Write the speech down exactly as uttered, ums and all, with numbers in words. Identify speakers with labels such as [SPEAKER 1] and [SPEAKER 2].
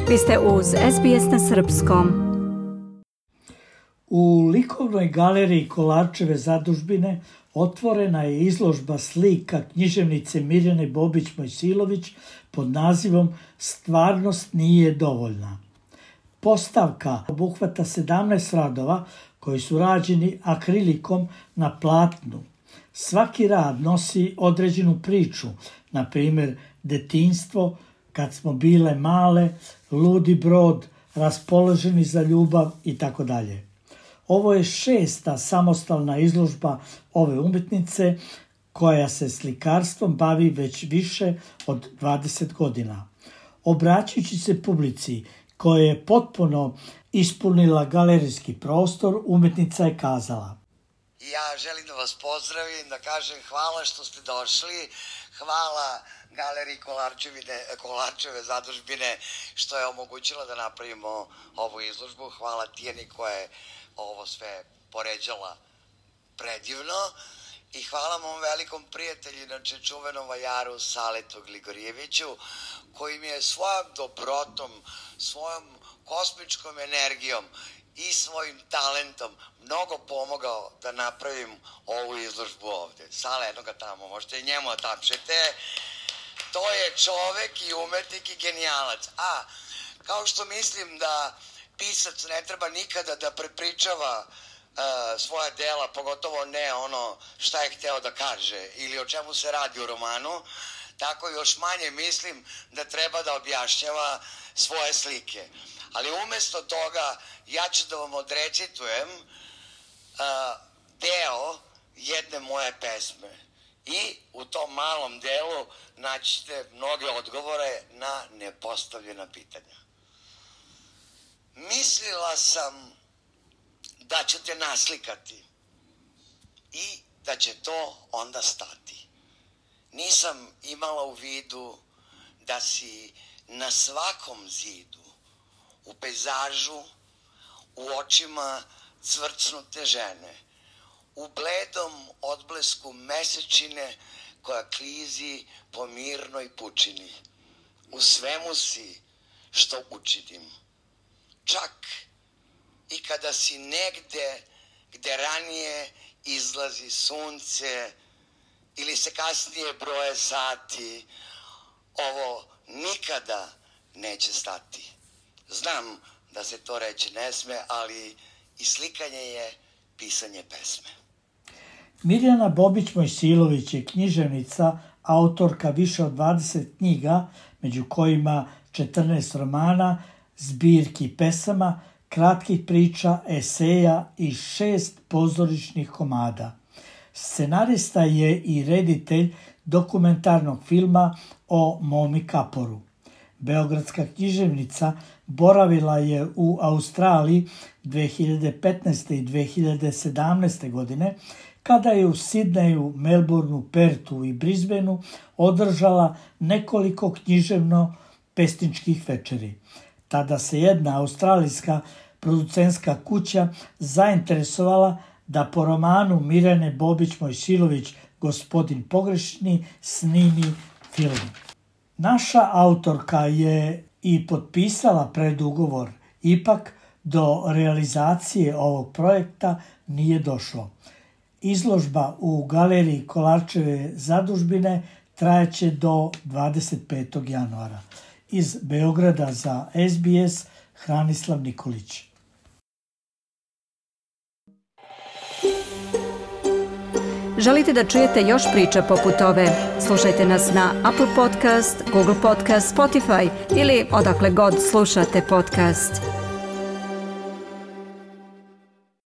[SPEAKER 1] Vi ste uz S B S na srpskom.
[SPEAKER 2] U likovnoj galeriji Kolarčeve zadužbine otvorena je izložba slika književnice Mirjane Bobić-Mojsilović pod nazivom Stvarnost nije dovoljna. Postavka obuhvata sedamnaest radova koji su rađeni akrilikom na platnu. Svaki rad nosi određenu priču, na primjer detinjstvo, kad smo bile male, ludi brod, raspoloženi za ljubav i tako dalje. Ovo je šesta samostalna izložba ove umjetnice koja se slikarstvom bavi već više od dvadeset godina. Obraćajući se publici koja je potpuno ispunila galerijski prostor, umjetnica je kazala:
[SPEAKER 3] Ja želim da vas pozdravim, da kažem hvala što ste došli, hvala Galeriji Kolarčeve zadužbine što je omogućila da napravimo ovu izložbu, hvala Tijeni koja je ovo sve poređala predivno i hvala mom velikom prijatelju, inače čuvenom vajaru Saletu Gligorijeviću, koji mi je svojom dobrotom, svojom kosmičkom energijom i svojim talentom mnogo pomogao da napravim ovu izložbu ovde. Sale, jedno ga tamo, možete i njemu da tapšete. To je čovek i umetnik i genijalac. A, kao što mislim da pisac ne treba nikada da prepričava uh, svoja dela, pogotovo ne ono šta je hteo da kaže ili o čemu se radi u romanu, tako još manje mislim da treba da objašnjava svoje slike. Ali umesto toga ja ću da vam odrecitujem uh, deo jedne moje pesme i u tom malom delu naćete mnoge odgovore na nepostavljena pitanja. Mislila sam da ću te naslikati i da će to onda stati. Nisam imala u vidu da si na svakom zidu, u pejzažu, u očima cvrcnute žene, u bledom odblesku mesečine koja klizi po mirnoj pučini. U svemu si što učinim. Čak i kada si negde gde ranije izlazi sunce ili se kasnije broje sati, ovo nikada neće stati. Znam da se to reći ne sme, ali i slikanje je pisanje pesme.
[SPEAKER 2] Mirjana Bobić-Mojsilović je književnica, autorka više od dvadeset knjiga, među kojima četrnaest romana, zbirki pesama, kratkih priča, eseja i šest pozorišnih komada. Scenarista je i reditelj dokumentarnog filma o Momi Kaporu. Beogradska književnica boravila je u Australiji dve hiljade petnaeste i dve hiljade sedamnaeste. godine, kada je u Sidneju, Melbourneu, Pertu i Brisbaneu održala nekoliko književno-pesničkih večeri. Tada se jedna australijska producentska kuća zainteresovala da po romanu Mirjane Bobić-Mojsilović Gospodin pogrešni snimi film. Naša autorka je i potpisala predugovor, ipak do realizacije ovog projekta nije došlo. Izložba u galeriji Kolarčeve zadužbine trajeće do dvadeset petog januara. Iz Beograda za S B S, Hranislav Nikolić.
[SPEAKER 1] Želite da čujete još priča poput ove? Slušajte nas na Apple Podcast, Google Podcast, Spotify ili odakle god slušate podcast.